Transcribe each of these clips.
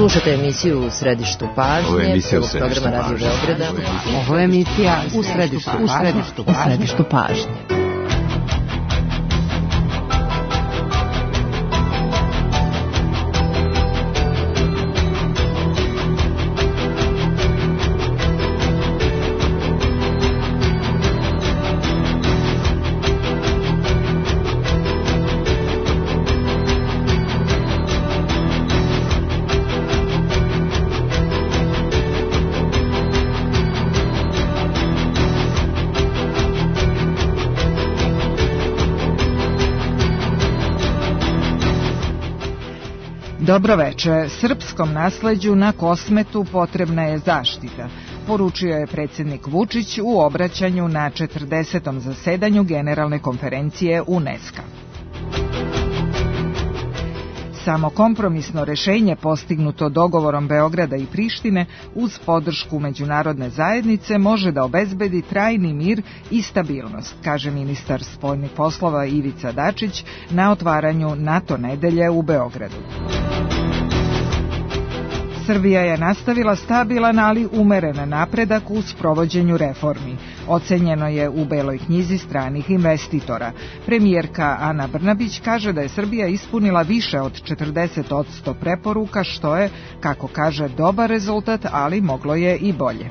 Slušate emisiju U središtu pažnje, programa Radio Beograda. Ovo je emisija U središtu pažnje. Dobro veče. Srpskom nasleđu na Kosmetu potrebna je zaštita, poručio je predsjednik Vučić u obraćanju na 40. zasedanju Generalne konferencije UNESCO. Samo kompromisno rešenje postignuto dogovorom Beograda i Prištine uz podršku međunarodne zajednice može da obezbedi trajni mir i stabilnost, kaže ministar spoljnih poslova Ivica Dačić na otvaranju NATO nedelje u Beogradu. Srbija je nastavila stabilan, ali umeren napredak u sprovođenju reformi. Ocenjeno je u Beloj knjizi stranih investitora. Premijerka Ana Brnabić kaže da je Srbija ispunila više od 40% preporuka, što je, kako kaže, dobar rezultat, ali moglo je i bolje.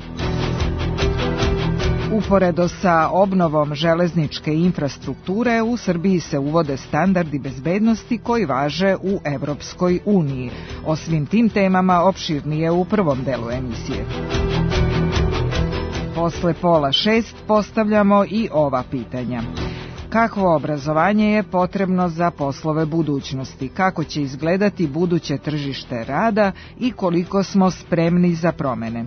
Uporedo sa obnovom železničke infrastrukture, u Srbiji se uvode standardi bezbednosti koji važe u Evropskoj uniji. O svim tim temama opširnije u prvom delu emisije. Posle 5:30 postavljamo i ova pitanja. Kakvo obrazovanje je potrebno za poslove budućnosti? Kako će izgledati buduće tržište rada i koliko smo spremni za promene?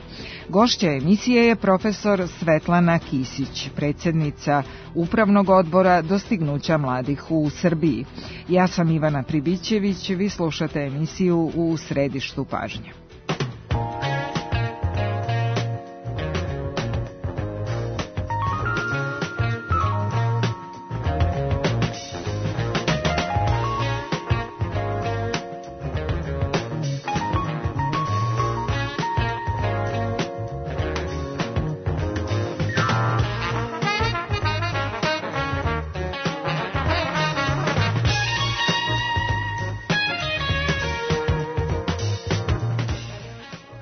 Gošća emisije je profesor Svetlana Kisić, predsjednica Upravnog odbora Dostignuća mladih u Srbiji. Ja sam Ivana Pribićević, vi slušate emisiju U središtu pažnje.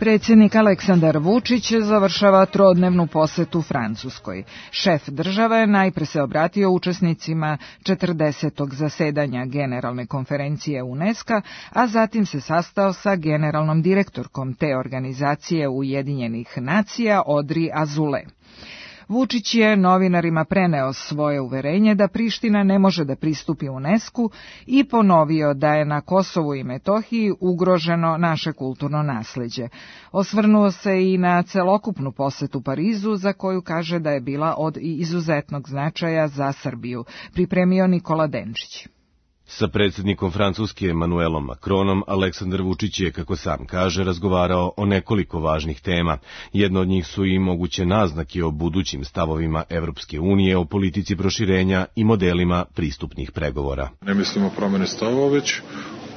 Predsjednik Aleksandar Vučić završava trodnevnu posetu Francuskoj. Šef države najpre se obratio učesnicima 40. zasedanja Generalne konferencije UNESCO, a zatim se sastao sa generalnom direktorkom te organizacije Ujedinjenih nacija Audrey Azoulay. Vučić je novinarima preneo svoje uverenje da Priština ne može da pristupi UNESCO i ponovio da je na Kosovu i Metohiji ugroženo naše kulturno nasleđe. Osvrnuo se i na celokupnu posetu Parizu, za koju kaže da je bila od izuzetnog značaja za Srbiju, pripremio Nikola Denčić. Sa predsjednikom Francuske Emmanuelom Macronom, Aleksandar Vučić je, kako sam kaže, razgovarao o nekoliko važnih tema. Jedno od njih su i moguće naznake o budućim stavovima Evropske unije, o politici proširenja i modelima pristupnih pregovora. Ne mislimo promjene stavova, već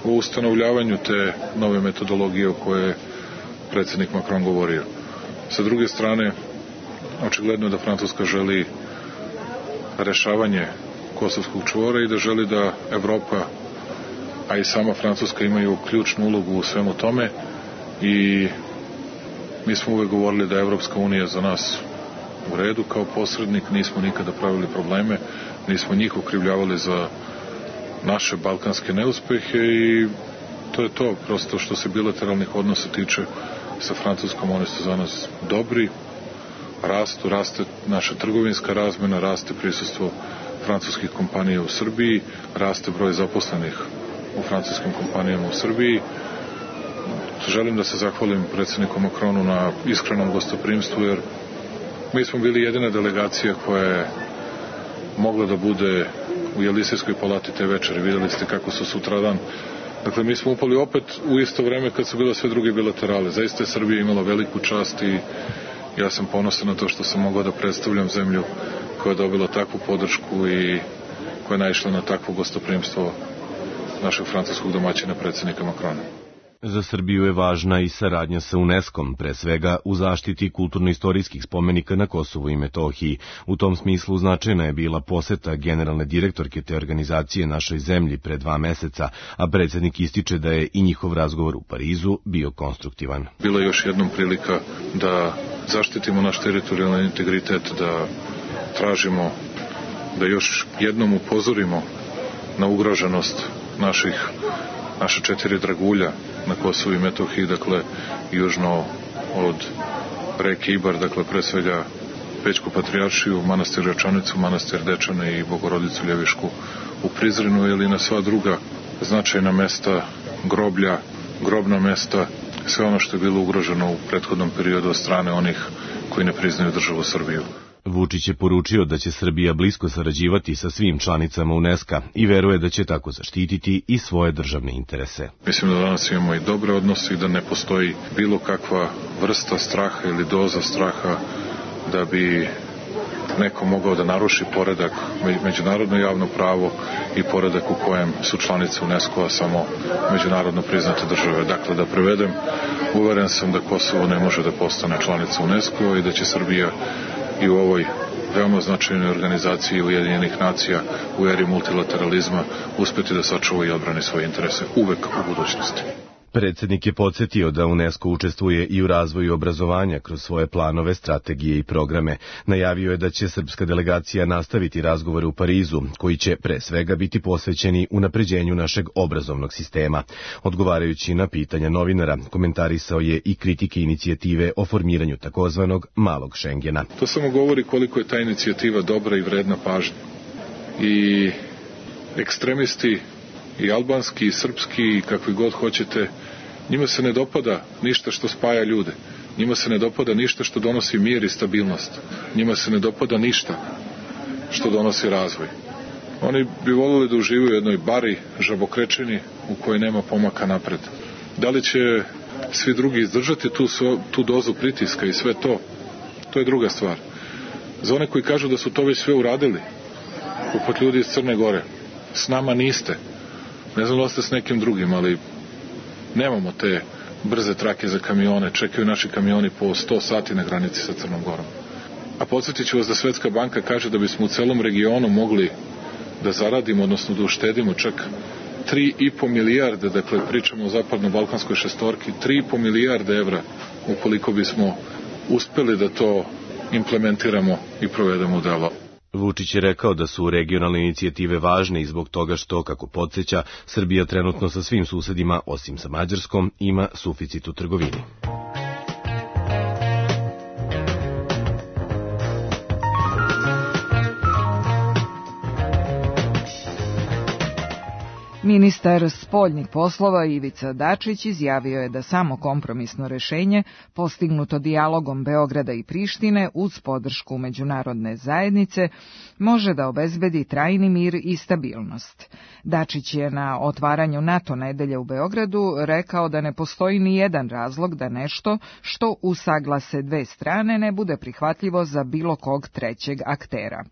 o ustanovljavanju te nove metodologije o kojoj je predsjednik Macron govorio. Sa druge strane, očigledno da Francuska želi rešavanje kosovskog čvora i da želi da Evropa, a i sama Francuska imaju ključnu ulogu u svemu tome i mi smo uvek govorili da je Evropska unija za nas u redu kao posrednik, nismo nikada pravili probleme, nismo njih okrivljavali za naše balkanske neuspehe i to je to, prosto što se bilateralnih odnosa tiče sa Francuskom, oni su za nas dobri, raste naša trgovinska razmena, raste prisustvo francuskih kompanija u Srbiji, raste broj zaposlenih u francuskim kompanijama u Srbiji. Želim da se zahvalim predsjedniku Macronu na iskrenom gostoprimstvu, jer mi smo bili jedina delegacija koja je mogla da bude u Jelisejskoj palati te večere. Vidjeli ste kako su sutradan. Dakle, mi smo upali opet u isto vreme kad su bile sve druge bilaterale. Zaista je Srbija imala veliku čast i ja sam ponosan na to što sam mogao da predstavljam zemlju koja je dobila takvu podršku i koja je naišla na takvo gostoprimstvo našeg francuskog domaćina predsjednika Macrona. Za Srbiju je važna i saradnja sa UNESCO-om, pre svega u zaštiti kulturno-istorijskih spomenika na Kosovu i Metohiji. U tom smislu značajna je bila poseta generalne direktorke te organizacije našoj zemlji pre 2 meseca, a predsjednik ističe da je i njihov razgovor u Parizu bio konstruktivan. Bila je još jednom prilika da zaštitimo naš teritorijalni integritet, da tražimo da još jednom upozorimo na ugroženost naša 4 dragulja na Kosovu i Metohiji, dakle južno od reke Ibar, dakle pre svega Pećku patrijaršiju, manastir Račanicu, manastir Dečane i Bogorodicu Ljevišku u Prizrenu, ili na sva druga značajna mesta, groblja, grobna mesta, sve ono što je bilo ugroženo u prethodnom periodu od strane onih koji ne priznaju državu Srbiju. Vučić je poručio da će Srbija blisko sarađivati sa svim članicama UNESCO i veruje da će tako zaštititi i svoje državne interese. Mislim da danas imamo i dobre odnose i da ne postoji bilo kakva vrsta straha ili doza straha da bi neko mogao da naruši poredak, međunarodno javno pravo i poredak u kojem su članice UNESCO-a samo međunarodno priznate države. Dakle, da prevedem, uveren sam da Kosovo ne može da postane članica UNESCO-a i da će Srbija i u ovoj veoma značajnoj organizaciji Ujedinjenih nacija u eri multilateralizma uspeti da sačuva i odbrani svoje interese uvek u budućnosti. Predsjednik je podsjetio da UNESCO učestvuje i u razvoju obrazovanja kroz svoje planove, strategije i programe. Najavio je da će srpska delegacija nastaviti razgovore u Parizu, koji će pre svega biti posvećeni unapređenju našeg obrazovnog sistema. Odgovarajući na pitanja novinara, komentarisao je i kritike inicijative o formiranju takozvanog malog Šengena. To samo govori koliko je ta inicijativa dobra i vredna pažnje. I ekstremisti, i albanski, i srpski, i kakvi god hoćete, njima se ne dopada ništa što spaja ljude. Njima se ne dopada ništa što donosi mir i stabilnost. Njima se ne dopada ništa što donosi razvoj. Oni bi voljeli da uživaju u jednoj bari, žabokrečini, u kojoj nema pomaka napred. Da li će svi drugi izdržati tu dozu pritiska i sve to? To je druga stvar. Za one koji kažu da su to već sve uradili, poput ljudi iz Crne Gore, s nama niste. Ne znam da ste s nekim drugim, ali nemamo te brze trake za kamione, čekaju naši kamioni po 100 sati na granici sa Crnom Gorom. A podsjetit ću vas da Svetska banka kaže da bismo u celom regionu mogli da zaradimo, odnosno da uštedimo čak 3,5 milijarde, dakle pričamo o zapadno-balkanskoj šestorki, 3,5 milijarde evra ukoliko bismo uspeli da to implementiramo i provedemo u delo. Vučić je rekao da su regionalne inicijative važne i zbog toga što, kako podsjeća, Srbija trenutno sa svim susedima, osim sa Mađarskom, ima suficit u trgovini. Ministar spoljnih poslova Ivica Dačić izjavio je da samo kompromisno rešenje, postignuto dijalogom Beograda i Prištine uz podršku međunarodne zajednice, može da obezbedi trajni mir i stabilnost. Dačić je na otvaranju NATO nedelje u Beogradu rekao da ne postoji ni jedan razlog da nešto što usaglase dve strane ne bude prihvatljivo za bilo kog trećeg aktera.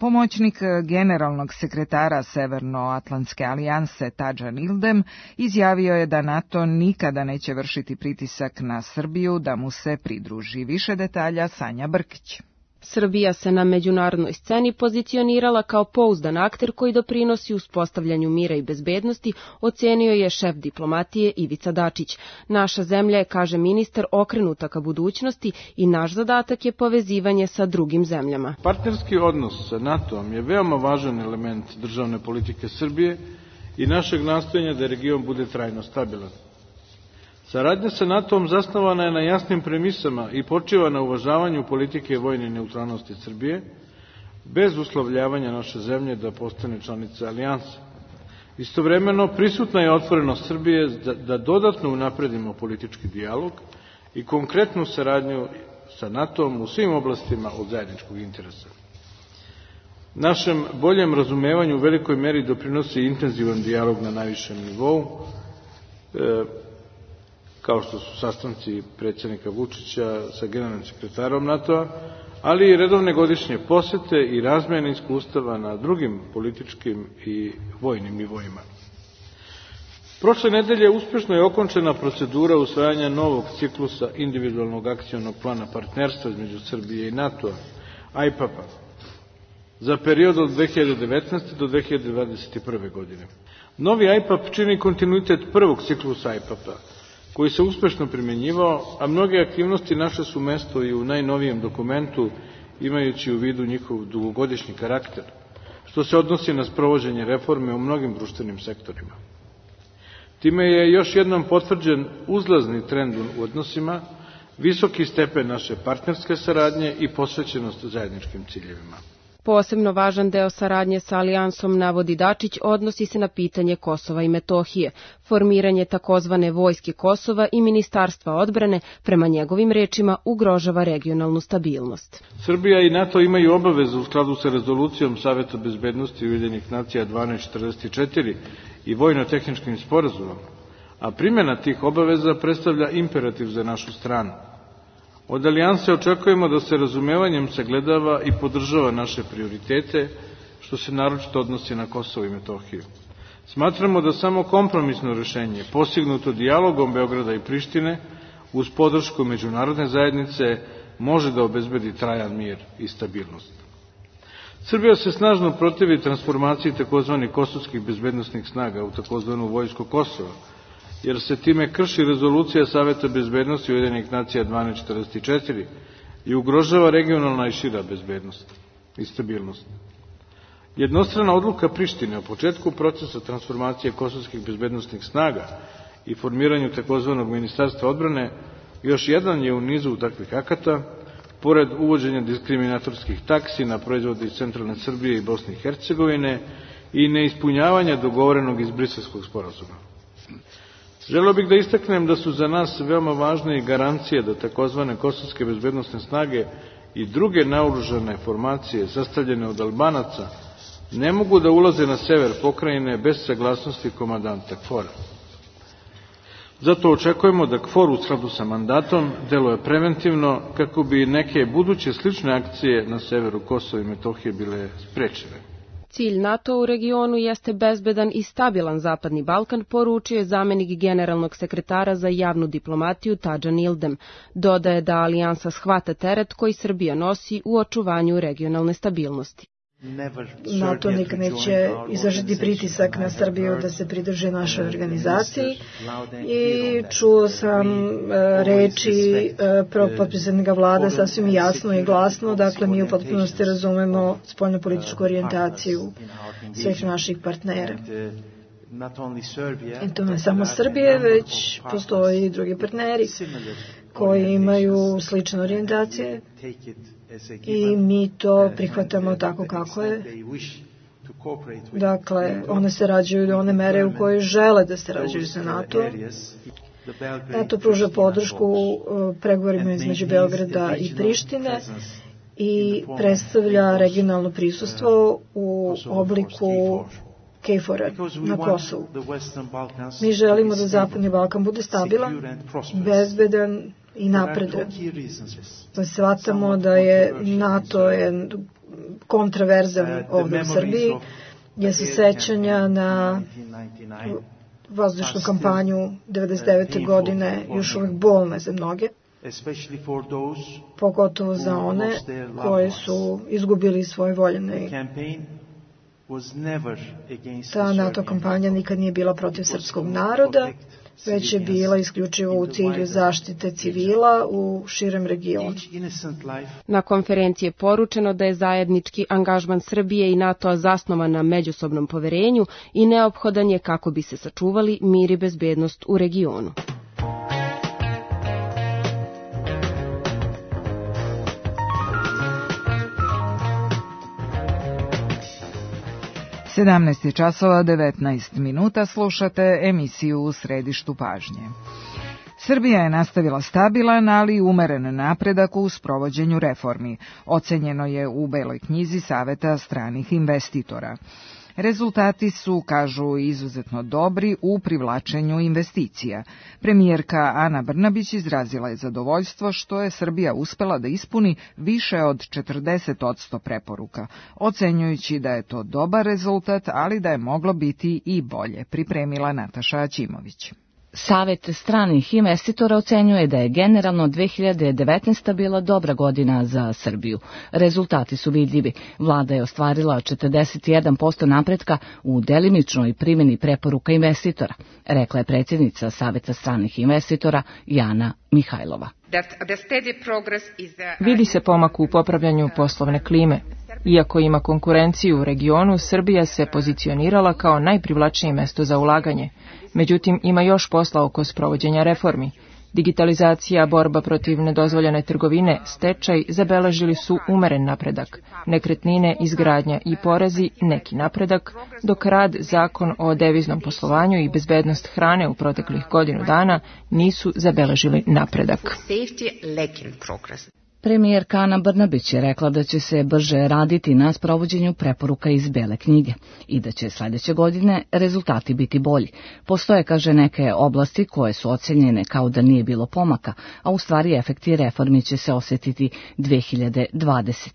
Pomoćnik generalnog sekretara Severnoatlantske alijanse Tadžan Ildem izjavio je da NATO nikada neće vršiti pritisak na Srbiju da mu se pridruži. Više detalja Sanja Brkić. Srbija se na međunarodnoj sceni pozicionirala kao pouzdan akter koji doprinosi uspostavljanju mira i bezbednosti, ocenio je šef diplomatije Ivica Dačić. Naša zemlja je, kaže ministar, okrenuta ka budućnosti i naš zadatak je povezivanje sa drugim zemljama. Partnerski odnos sa NATO-om je veoma važan element državne politike Srbije i našeg nastojanja da region bude trajno stabilan. Saradnja sa NATO-om zasnovana je na jasnim premisama i počiva na uvažavanju politike vojne neutralnosti Srbije, bez uslovljavanja naše zemlje da postane članica alijanse. Istovremeno, prisutna je otvorenost Srbije da dodatno unapredimo politički dijalog i konkretnu saradnju sa NATO-om u svim oblastima od zajedničkog interesa. Našem boljem razumevanju u velikoj meri doprinosi intenzivan dijalog na najvišem nivou, kao što su sastanci predsjednika Vučića sa generalnim sekretarom NATO-a, ali i redovne godišnje posete i razmjene iskustava na drugim političkim i vojnim nivoima. Prošle nedelje uspešno je okončena procedura usvajanja novog ciklusa individualnog akcionog plana partnerstva između Srbije i NATO-a, IPAP-a, za period od 2019. do 2021. godine. Novi IPAP čini kontinuitet prvog ciklusa IPAP-a, koji se uspešno primenjivao, a mnoge aktivnosti naše su mesto i u najnovijem dokumentu, imajući u vidu njihov dugogodišnji karakter, što se odnosi na sprovođenje reforme u mnogim društvenim sektorima. Time je još jednom potvrđen uzlazni trend u odnosima, visoki stepen naše partnerske saradnje i posvećenost zajedničkim ciljevima. Posebno važan deo saradnje sa Alijansom, navodi Dačić, odnosi se na pitanje Kosova i Metohije, formiranje takozvane vojske Kosova i Ministarstva odbrane, prema njegovim rečima, ugrožava regionalnu stabilnost. Srbija i NATO imaju obavezu u skladu sa rezolucijom Saveta bezbednosti Ujedinjenih nacija 1244 i vojno-tehničkim sporazumom, a primjena tih obaveza predstavlja imperativ za našu stranu. Od Alijanse očekujemo da se razumevanjem sagledava i podržava naše prioritete, što se naročito odnosi na Kosovo i Metohiju. Smatramo da samo kompromisno rešenje, postignuto dijalogom Beograda i Prištine, uz podršku međunarodne zajednice, može da obezbedi trajan mir i stabilnost. Srbija se snažno protivi transformaciji tzv. Kosovskih bezbednosnih snaga u tzv. Vojsku Kosova, jer se time krši rezolucija Saveta bezbednosti Ujedinjenih nacija 1244 i ugrožava regionalna i šira bezbednost i stabilnost. Jednostrana odluka Prištine o početku procesa transformacije kosovskih bezbednosnih snaga i formiranju takozvanog Ministarstva odbrane još jedan je u nizu takvih akata, pored uvođenja diskriminatorskih taksi na proizvode iz centralne Srbije i Bosne i Hercegovine i neispunjavanja dogovorenog iz Briselskog sporazuma. Želeo bih da istaknem da su za nas veoma važne i garancije da takozvane kosovske bezbednosne snage i druge naoružane formacije sastavljene od Albanaca ne mogu da ulaze na sever pokrajine bez saglasnosti komandanta KFOR-a. Zato očekujemo da KFOR u skladu sa mandatom deluje preventivno kako bi neke buduće slične akcije na severu Kosova i Metohije bile sprečene. Cilj NATO u regionu jeste bezbedan i stabilan Zapadni Balkan, poručio je zamenik generalnog sekretara za javnu diplomatiju Tadžan Ildem. Dodaje da Alijansa shvata teret koji Srbija nosi u očuvanju regionalne stabilnosti. NATO nikad neće izvršiti pritisak na Srbiju da se pridruži našoj organizaciji i čuo sam reči potpredsjednika vlade sasvim jasno i glasno, dakle mi u potpunosti razumemo spoljnopolitičku orijentaciju svih naših partnera. I to ne samo Srbije, već postoji i drugi partneri koji imaju slične orijentacije i mi to prihvatamo tako kako je. Dakle, one se rađuju do one mere u kojoj žele da se rađuju sa NATO. NATO pruža podršku pregovorima između Beograda i Prištine i predstavlja regionalno prisustvo u obliku KFOR-a na Kosovu. Mi želimo da Zapadni Balkan bude stabilan, bezbedan i napredan. Shvatamo da je NATO kontraverzan ovdje u Srbiji, jer se sećanja na vazdušnu kampanju 1999. godine još uvijek bolne za mnoge, pogotovo za one koji su izgubili svoje voljene. Ta NATO kampanja nikad nije bila protiv srpskog naroda, već je bila isključivo u cilju zaštite civila u širem regionu. Na konferenciji je poručeno da je zajednički angažman Srbije i NATO-a zasnovan na međusobnom poverenju i neophodan je kako bi se sačuvali mir i bezbednost u regionu. Sedamnaest časova 19 minuta, slušate emisiju U središtu pažnje. Srbija je nastavila stabilan, ali umeren napredak u sprovođenju reformi, ocenjeno je u Beloj knjizi Saveta stranih investitora. Rezultati su, kažu, izuzetno dobri u privlačenju investicija. Premijerka Ana Brnabić izrazila je zadovoljstvo što je Srbija uspela da ispuni više od 40% preporuka, ocenjujući da je to dobar rezultat, ali da je moglo biti i bolje, pripremila Nataša Aćimović. Savet stranih investitora ocenjuje da je generalno 2019. bila dobra godina za Srbiju. Rezultati su vidljivi. Vlada je ostvarila 41% napretka u delimičnoj primjeni preporuka investitora, rekla je predsjednica Saveta stranih investitora Jana Mihajlova. Vidi se pomak u popravljanju poslovne klime. Iako ima konkurenciju u regionu, Srbija se pozicionirala kao najprivlačnije mesto za ulaganje. Međutim, ima još posla oko sprovođenja reformi. Digitalizacija, borba protiv nedozvoljene trgovine, stečaj zabeležili su umeren napredak. Nekretnine, izgradnja i porezi neki napredak, dok rad, zakon o deviznom poslovanju i bezbednost hrane u proteklih godinu dana nisu zabeležili napredak. Premijerka Ana Brnabić je rekla da će se brže raditi na sprovođenju preporuka iz Bele knjige i da će sledeće godine rezultati biti bolji. Postoje, kaže, neke oblasti koje su ocenjene kao da nije bilo pomaka, a u stvari efekti reformi će se osjetiti 2020.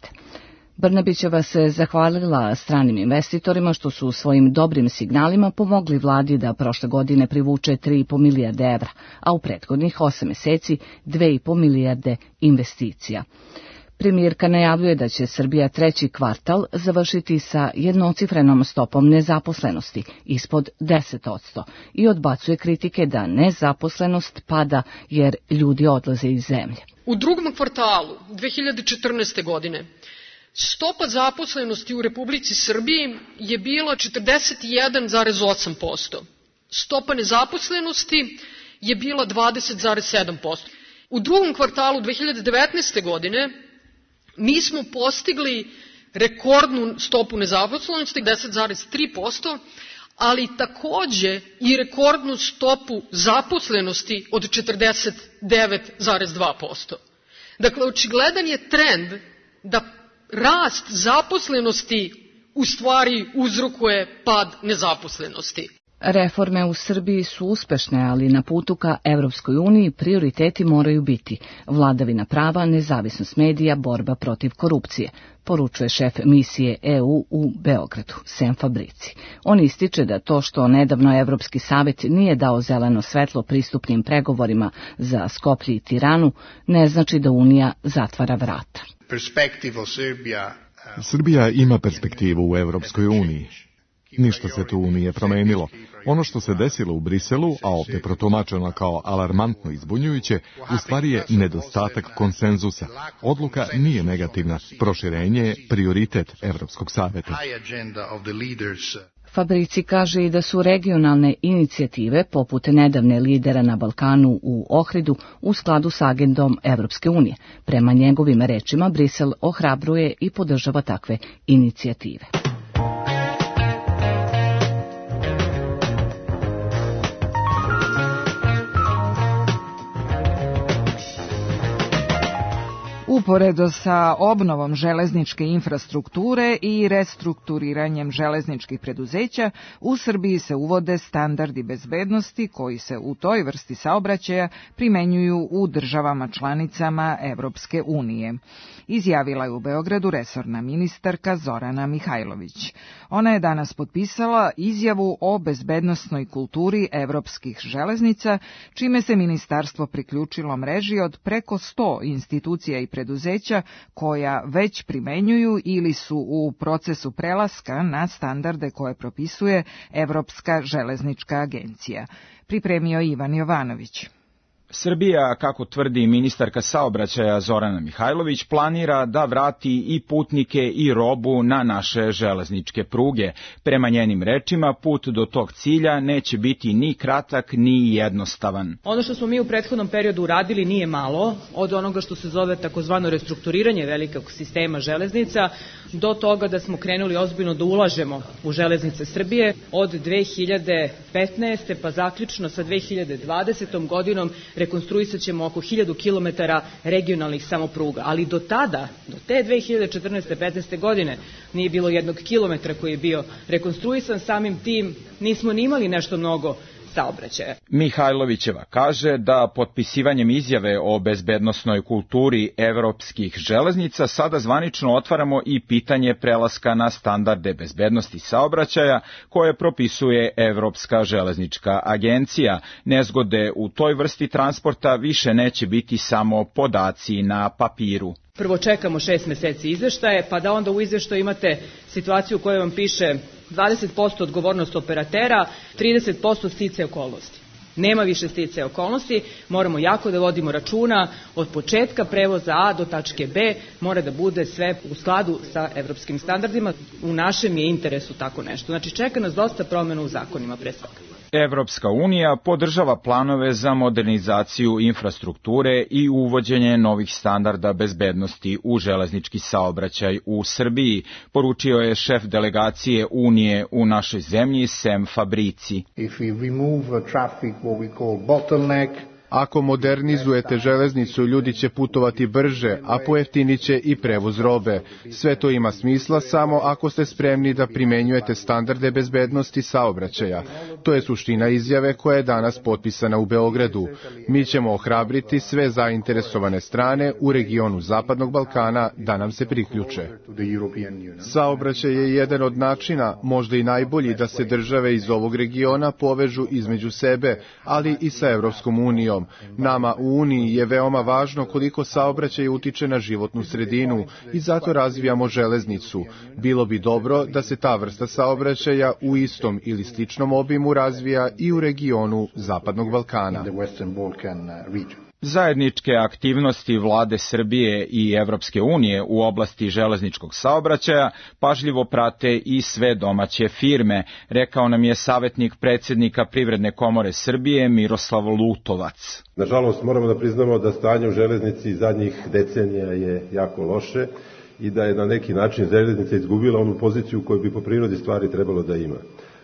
Brnabićeva se zahvalila stranim investitorima što su svojim dobrim signalima pomogli vladi da prošle godine privuče 3,5 milijarde evra, a u prethodnih 8 meseci 2,5 milijarde investicija. Premijerka najavljuje da će Srbija treći kvartal završiti sa jednocifrenom stopom nezaposlenosti ispod 10% i odbacuje kritike da nezaposlenost pada jer ljudi odlaze iz zemlje. U drugom kvartalu 2014. godine stopa zaposlenosti u Republici Srbiji je bila 41,8%. Stopa nezaposlenosti je bila 20,7%. U drugom kvartalu 2019. godine mi smo postigli rekordnu stopu nezaposlenosti 10,3%, ali takođe i rekordnu stopu zaposlenosti od 49,2%. Dakle, očigledan je trend da rast zaposlenosti u stvari uzrokuje pad nezaposlenosti. Reforme u Srbiji su uspešne, ali na putu ka Evropskoj uniji prioriteti moraju biti vladavina prava, nezavisnost medija, borba protiv korupcije, poručuje šef misije EU u Beogradu, Sem Fabrici. On ističe da to što nedavno Evropski savet nije dao zeleno svetlo pristupnim pregovorima za Skoplje i Tiranu, ne znači da Unija zatvara vrata. Srbija ima perspektivu u Evropskoj uniji. Ništa se tu nije promenilo. Ono što se desilo u Briselu, a ovdje protumačeno kao alarmantno i zbunjujuće, u stvari je nedostatak konsenzusa. Odluka nije negativna, proširenje je prioritet Evropskog saveta. Fabrici kaže i da su regionalne inicijative, poput nedavne lidera na Balkanu u Ohridu, u skladu s agendom Evropske unije. Prema njegovim rečima, Brisel ohrabruje i podržava takve inicijative. Uporedo sa obnovom železničke infrastrukture i restrukturiranjem železničkih preduzeća, u Srbiji se uvode standardi bezbednosti koji se u toj vrsti saobraćaja primenjuju u državama članicama Evropske unije. Izjavila je u Beogradu resorna ministarka Zorana Mihajlović. Ona je danas potpisala izjavu o bezbednosnoj kulturi evropskih železnica, čime se ministarstvo priključilo mreži od preko 100 institucija i preduzeća koja već primenjuju ili su u procesu prelaska na standarde koje propisuje Evropska železnička agencija. Pripremio Ivan Jovanović. Srbija, kako tvrdi ministarka saobraćaja Zorana Mihajlović, planira da vrati i putnike i robu na naše železničke pruge. Prema njenim rečima, put do tog cilja neće biti ni kratak ni jednostavan. Ono što smo mi u prethodnom periodu uradili nije malo, od onoga što se zove takozvano restrukturiranje velikog sistema železnica, do toga da smo krenuli ozbiljno da ulažemo u železnice Srbije od 2015. pa zaključno sa 2020. godinom rekonstruisat ćemo oko 1000 kilometara regionalnih samopruga, ali do tada, do te 2014-15. godine, nije bilo 1 kilometra koji je bio rekonstruisan, samim tim nismo ni imali nešto mnogo saobraćaja. Mihajlovićeva kaže da potpisivanjem izjave o bezbednosnoj kulturi evropskih železnica sada zvanično otvaramo i pitanje prelaska na standarde bezbednosti saobraćaja koje propisuje Evropska železnička agencija. Nezgode u toj vrsti transporta više neće biti samo podaci na papiru. Prvo čekamo 6 meseci izveštaje, pa da onda u izveštaju imate situaciju u kojoj vam piše 20% odgovornost operatera, 30% sticaja okolnosti. Nema više sticaja okolnosti, moramo jako da vodimo računa od početka prevoza A do tačke B, mora da bude sve u skladu sa evropskim standardima. U našem je interesu tako nešto. Znači čeka nas dosta promjena u zakonima pre svega. Evropska unija podržava planove za modernizaciju infrastrukture i uvođenje novih standarda bezbednosti u železnički saobraćaj u Srbiji, poručio je šef delegacije Unije u našoj zemlji Sem Fabrici. Ako modernizujete železnicu, ljudi će putovati brže, a pojeftinit će i prevoz robe. Sve to ima smisla samo ako ste spremni da primenjujete standarde bezbednosti saobraćaja. To je suština izjave koja je danas potpisana u Beogradu. Mi ćemo ohrabriti sve zainteresovane strane u regionu Zapadnog Balkana da nam se priključe. Saobraćaj je jedan od načina, možda i najbolji, da se države iz ovog regiona povežu između sebe, ali i sa Evropskom unijom. Nama u Uniji je veoma važno koliko saobraćaj utiče na životnu sredinu i zato razvijamo železnicu. Bilo bi dobro da se ta vrsta saobraćaja u istom ili sličnom obimu razvija i u regionu Zapadnog Balkana. Zajedničke aktivnosti vlade Srbije i Evropske unije u oblasti železničkog saobraćaja pažljivo prate i sve domaće firme, rekao nam je savjetnik predsjednika Privredne komore Srbije Miroslav Lutovac. Nažalost, moramo da priznamo da stanje u železnici zadnjih decenija je jako loše i da je na neki način železnica izgubila onu poziciju koju bi po prirodi stvari trebalo da ima.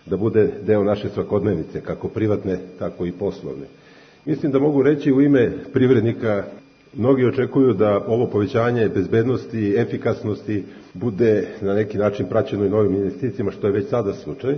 Da bude deo naše svakodnevnice, kako privatne, tako i poslovne. Mislim da mogu reći u ime privrednika, mnogi očekuju da ovo povećanje bezbednosti i efikasnosti bude na neki način praćeno i novim investicijama, što je već sada slučaj.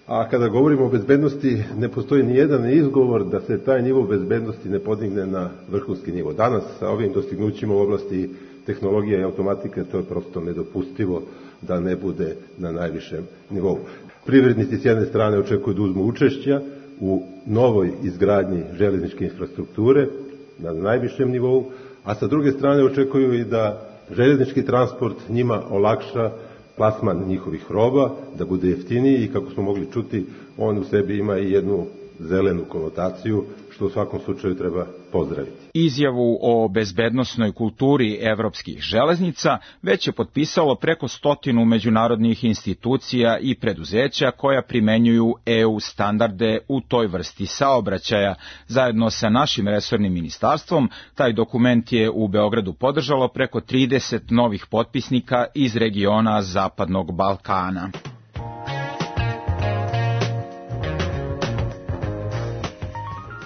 A kada govorimo o bezbednosti, ne postoji ni jedan izgovor da se taj nivo bezbednosti ne podigne na vrhunski nivo. Danas sa ovim dostignućima u oblasti tehnologije i automatike to je prosto nedopustivo da ne bude na najvišem nivou. Privrednici s jedne strane očekuju da uzmu učešća u novoj izgradnji železničke infrastrukture na najvišem nivou, a sa druge strane očekuju i da železnički transport njima olakša plasman njihovih roba, da bude jeftiniji i kako smo mogli čuti, on u sebi ima i jednu zelenu konotaciju, što u svakom slučaju treba pozdraviti. Izjavu o bezbednosnoj kulturi evropskih železnica već je potpisalo preko 100 međunarodnih institucija i preduzeća koja primenjuju EU standarde u toj vrsti saobraćaja. Zajedno sa našim resornim ministarstvom, taj dokument je u Beogradu podržalo preko 30 novih potpisnika iz regiona Zapadnog Balkana.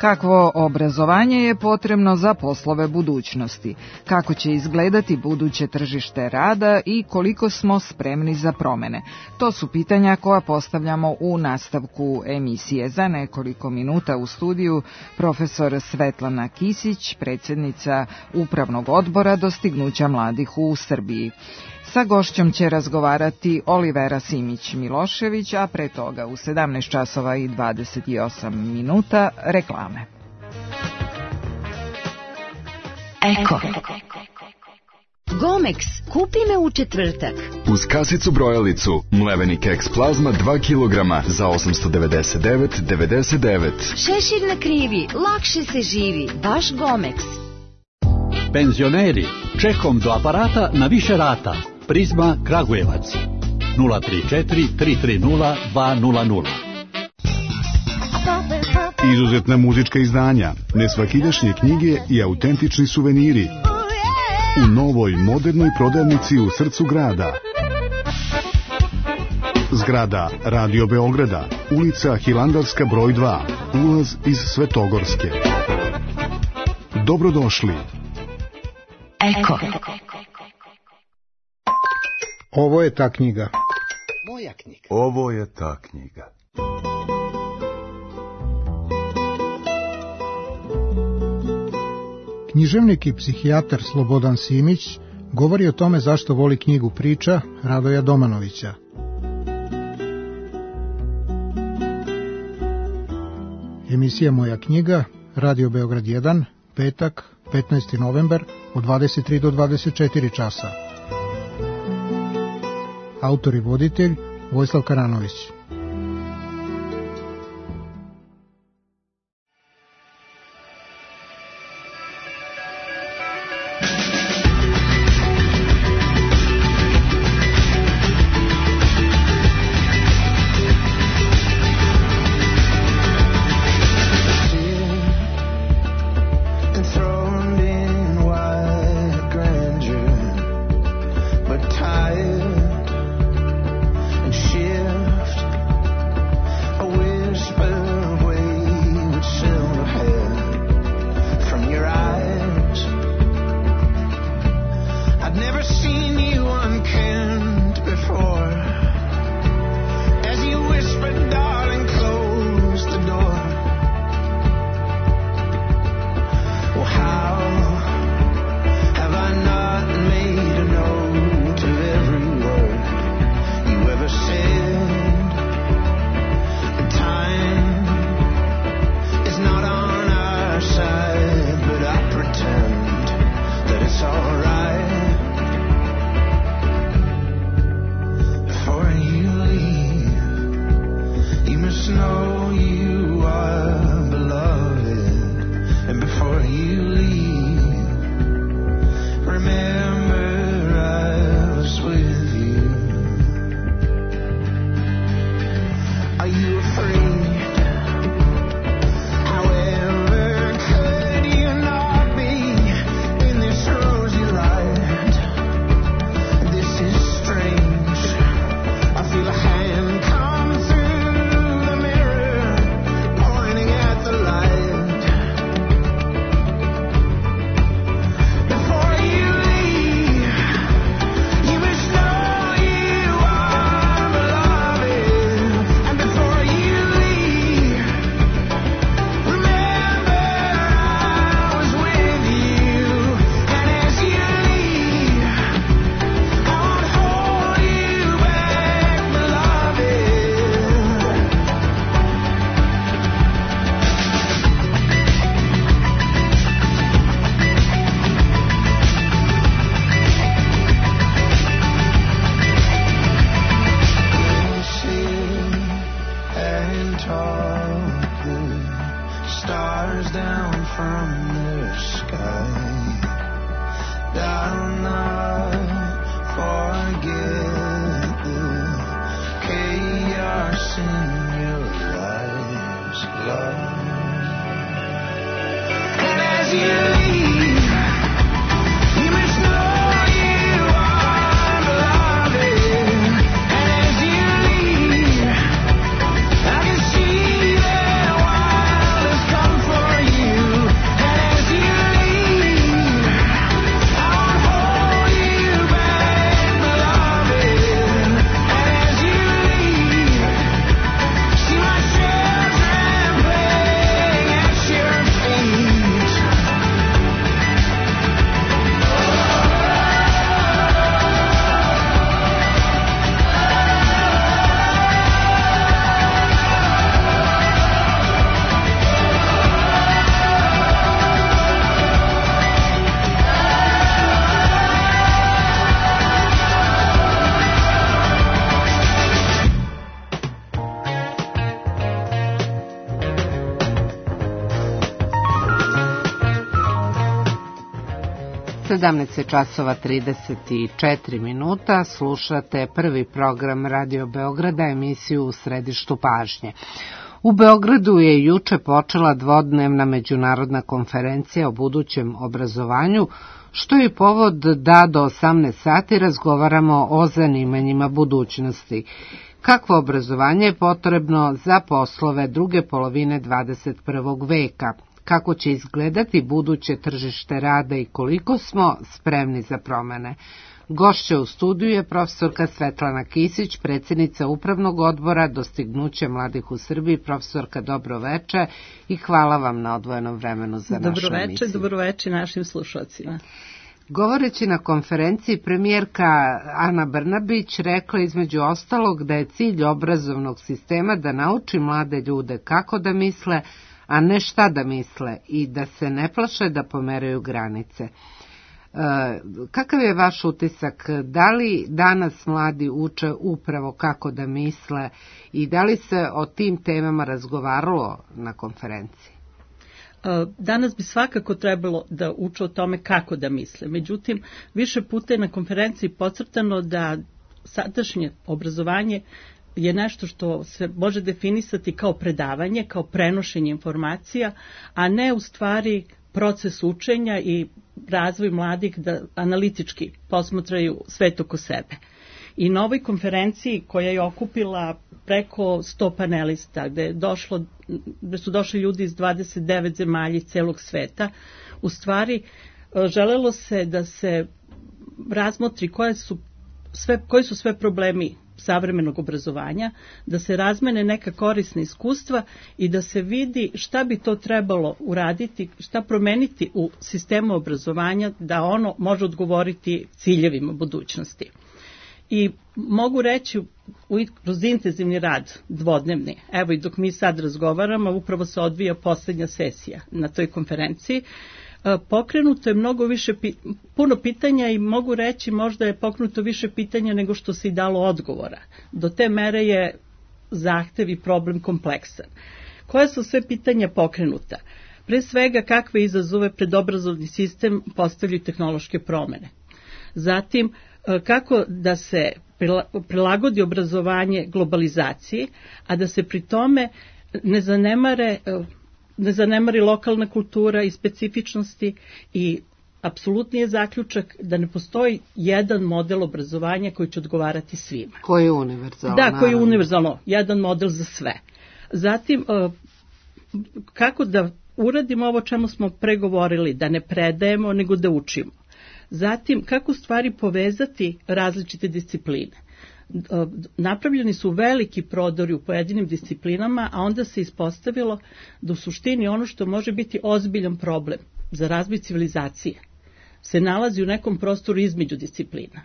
Kakvo obrazovanje je potrebno za poslove budućnosti? Kako će izgledati buduće tržište rada i koliko smo spremni za promene? To su pitanja koja postavljamo u nastavku emisije. Za nekoliko minuta u studiju profesor Svetlana Kisić, predsjednica Upravnog odbora dostignuća mladih u Srbiji. Sa gošćom će razgovarati Olivera Simić-Milošević, a pre toga u 17 časova i 28 minuta reklame. Eko. Gomex, kupi me u četvrtak. Uz kasicu brojalicu, mleveni keks plazma 2 kg za 899,99. Šešir na krivi, lakše se živi, baš Gomex. Penzioneri, čekom do aparata na više rata. Prizma Kragujevac 034 330 200. Izuzetna muzička izdanja, nesvakidašnje knjige i autentični suveniri u novoj modernoj prodavnici u srcu grada. Zgrada Radio Beograda, ulica Hilandarska broj 2, ulaz iz Svetogorske. Dobrodošli. Eko. Ovo je ta knjiga. Moja knjiga. Ovo je ta knjiga. Književnik i psihijatar Slobodan Simić govori o tome zašto voli knjigu priča Radoja Domanovića. Emisija Moja knjiga, Radio Beograd 1, petak, 15. novembar, od 23 do 24 časa. Autor i voditelj Vojislav Karanović. časova 34 minuta, slušate prvi program Radio Beograda, emisiju U središtu pažnje. U Beogradu je juče počela dvodnevna međunarodna konferencija o budućem obrazovanju, što je povod da do 18 sati razgovaramo o zanimanjima budućnosti. Kakvo obrazovanje je potrebno za poslove druge polovine 21. veka? kako će izgledati buduće tržište rada i koliko smo spremni za promene. Gošća u studiju je profesorka Svetlana Kisić, predsjednica Upravnog odbora Dostignuće mladih u Srbiji. Profesorka, dobro veče i hvala vam na odvojenom vremenu za našu emisiju. Dobro veče našim slušalcima. Govoreći na konferenciji, premijerka Ana Brnabić rekla između ostalog da je cilj obrazovnog sistema da nauči mlade ljude kako da misle, a ne šta da misle, i da se ne plaše da pomeraju granice. Kakav je vaš utisak? Da li danas mladi uče upravo kako da misle i da li se o tim temama razgovaralo na konferenciji? Danas bi svakako trebalo da uče o tome kako da misle. Međutim, više puta je na konferenciji podcrtano da sadašnje obrazovanje je nešto što se može definisati kao predavanje, kao prenošenje informacija, a ne u stvari proces učenja i razvoj mladih da analitički posmatraju svet oko sebe. I na ovoj konferenciji koja je okupila preko 100 panelista, gde su došli ljudi iz 29 zemalja celog sveta, u stvari želelo se da se razmotri koji su sve problemi savremenog obrazovanja, da se razmene neka korisna iskustva i da se vidi šta bi to trebalo uraditi, šta promeniti u sistemu obrazovanja da ono može odgovoriti ciljevima budućnosti. I mogu reći kroz intenzivni rad dvodnevni, evo i dok mi sad razgovaramo, upravo se odvija poslednja sesija na toj konferenciji, pokrenuto je puno pitanja i mogu reći možda je pokrenuto više pitanja nego što se i dalo odgovora. Do te mere je zahtev i problem kompleksan. Koja su sve pitanja pokrenuta? Pre svega, kakve izazove pred obrazovni sistem postavljaju tehnološke promene? Zatim, kako da se prilagodi obrazovanje globalizaciji, a da se pri tome ne zanemari lokalna kultura i specifičnosti i apsolutni je zaključak da ne postoji jedan model obrazovanja koji će odgovarati svima. Koji je univerzalno. Da, koji je univerzalno, jedan model za sve. Zatim, kako da uradimo ovo čemu smo pregovorili, da ne predajemo nego da učimo. Zatim, kako stvari povezati različite discipline. Napravljeni su veliki prodori u pojedinim disciplinama, a onda se ispostavilo da u suštini ono što može biti ozbiljan problem za razvoj civilizacije se nalazi u nekom prostoru između disciplina.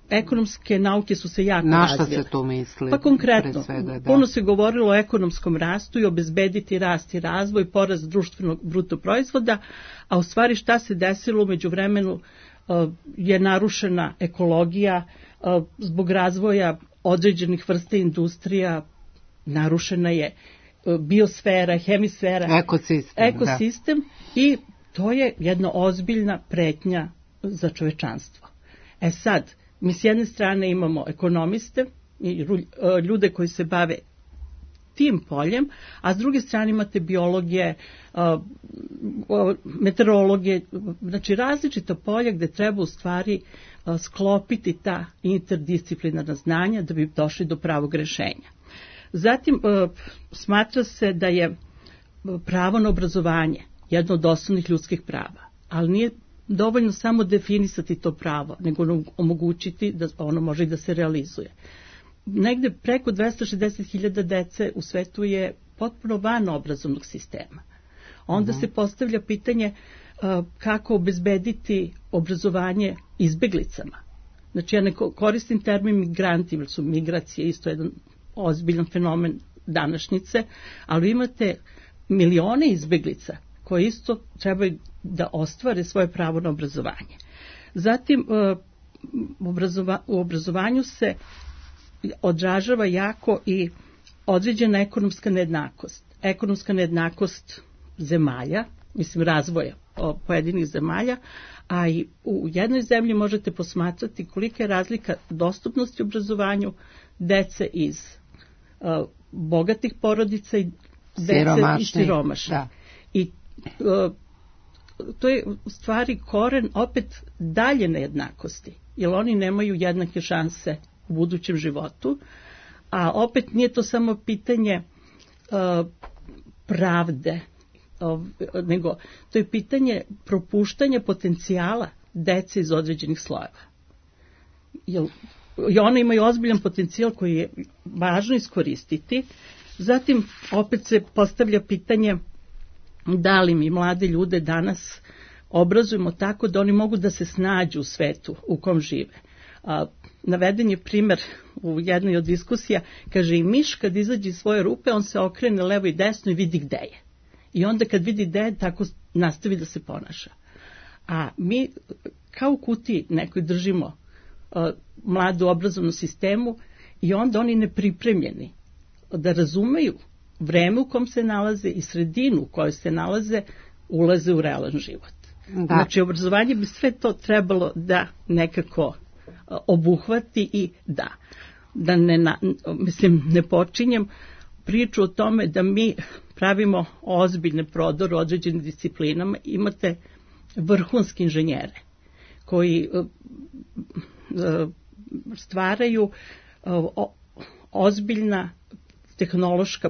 Ekonomske nauke su se jako razvile. Na šta se to misli? Pa konkretno, puno se govorilo o ekonomskom rastu i obezbediti rast i razvoj, porast društvenog bruto proizvoda, a u stvari šta se desilo u međuvremenu je narušena ekologija, zbog razvoja određenih vrsta industrija, narušena je biosfera, hemisfera, ekosistem i to je jedna ozbiljna pretnja za čovečanstvo. Sad, mi s jedne strane imamo ekonomiste i ljude koji se bave tim poljem, a s druge strane imate biologe, meteorologe, znači različita polja gde treba u stvari sklopiti ta interdisciplinarna znanja da bi došli do pravog rešenja. Zatim, smatra se da je pravo na obrazovanje jedno od osnovnih ljudskih prava, ali nije dovoljno samo definisati to pravo, nego omogućiti da ono može i da se realizuje. Negde preko 260.000 dece u svetu je potpuno van obrazovnog sistema. Onda se postavlja pitanje kako obezbediti obrazovanje izbeglicama. Znači, ja ne koristim termin migranti, jer su migracije isto jedan ozbiljan fenomen današnjice, ali imate milione izbeglica koji isto trebaju da ostvare svoje pravo na obrazovanje. Zatim, u obrazovanju se odražava jako i određena ekonomska nejednakost. Ekonomska nejednakost zemalja, razvoja pojedinih zemalja, a i u jednoj zemlji možete posmatrati kolika je razlika dostupnosti obrazovanju dece iz bogatih porodica i dece iz siromašnih. I to je u stvari koren opet dalje nejednakosti, jer oni nemaju jednake šanse u budućem životu, a opet nije to samo pitanje pravde nego to je pitanje propuštanja potencijala dece iz određenih slojeva. I one imaju ozbiljan potencijal koji je važno iskoristiti. Zatim opet se postavlja pitanje da li mi mlade ljude danas obrazujemo tako da oni mogu da se snađu u svetu u kom žive. Naveden je primer u jednoj od diskusija, kaže i miš kad izađe iz svoje rupe, on se okrene levo i desno i vidi gde je. I onda kad vidi gde je, tako nastavi da se ponaša. A mi kao u kutiji nekoj držimo mladu obrazovnu sistemu i onda oni nepripremljeni da razumeju vreme u kom se nalaze i sredinu u kojoj se nalaze, ulaze u realan život. Da. Znači, obrazovanje bi sve to trebalo da nekako obuhvati i da ne počinjem priču o tome da mi pravimo ozbiljne prodore u određenim disciplinama. Imate vrhunski inženjere koji stvaraju ozbiljna tehnološka,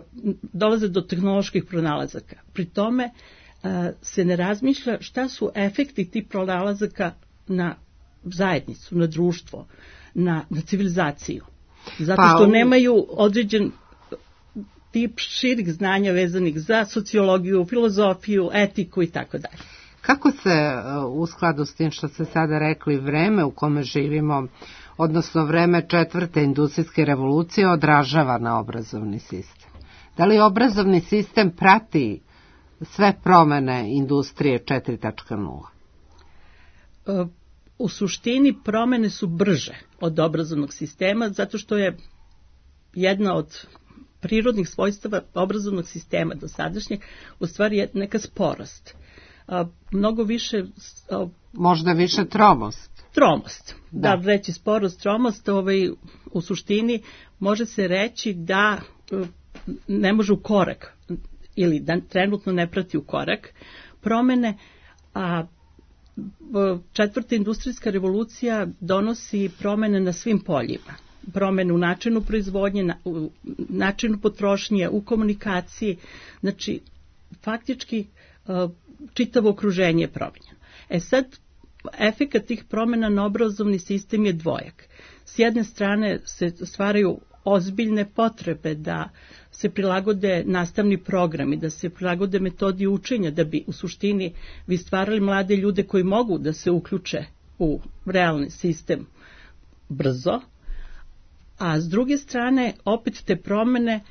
dolaze do tehnoloških pronalazaka. Pri tome se ne razmišlja šta su efekti tih pronalazaka na zajednicu, na društvo, na civilizaciju. Zato što nemaju određen tip širih znanja vezanih za sociologiju, filozofiju, etiku i tako dalje. Kako se u skladu s tim što ste sada rekli vreme u kome živimo, odnosno vreme 4. industrijske revolucije odražava na obrazovni sistem? Da li obrazovni sistem prati sve promene industrije 4.0? U suštini promene su brže od obrazovnog sistema zato što je jedna od prirodnih svojstava obrazovnog sistema dosadašnjeg u stvari neka sporost. Mnogo više... Možda više tromost. Tromost, da reći sporost, tromost, u suštini može se reći da ne može u korak ili da trenutno ne prati u korak promene, a 4. industrijska revolucija donosi promene na svim poljima. Promene u načinu proizvodnje, u načinu potrošnje, u komunikaciji, znači faktički čitavo okruženje je promenjeno. Sad, efekat tih promena na obrazovni sistem je dvojak. S jedne strane se stvaraju ozbiljne potrebe da se prilagode nastavni programi, da se prilagode metodi učenja, da bi u suštini vi stvarali mlade ljude koji mogu da se uključe u realni sistem brzo, a s druge strane opet te promene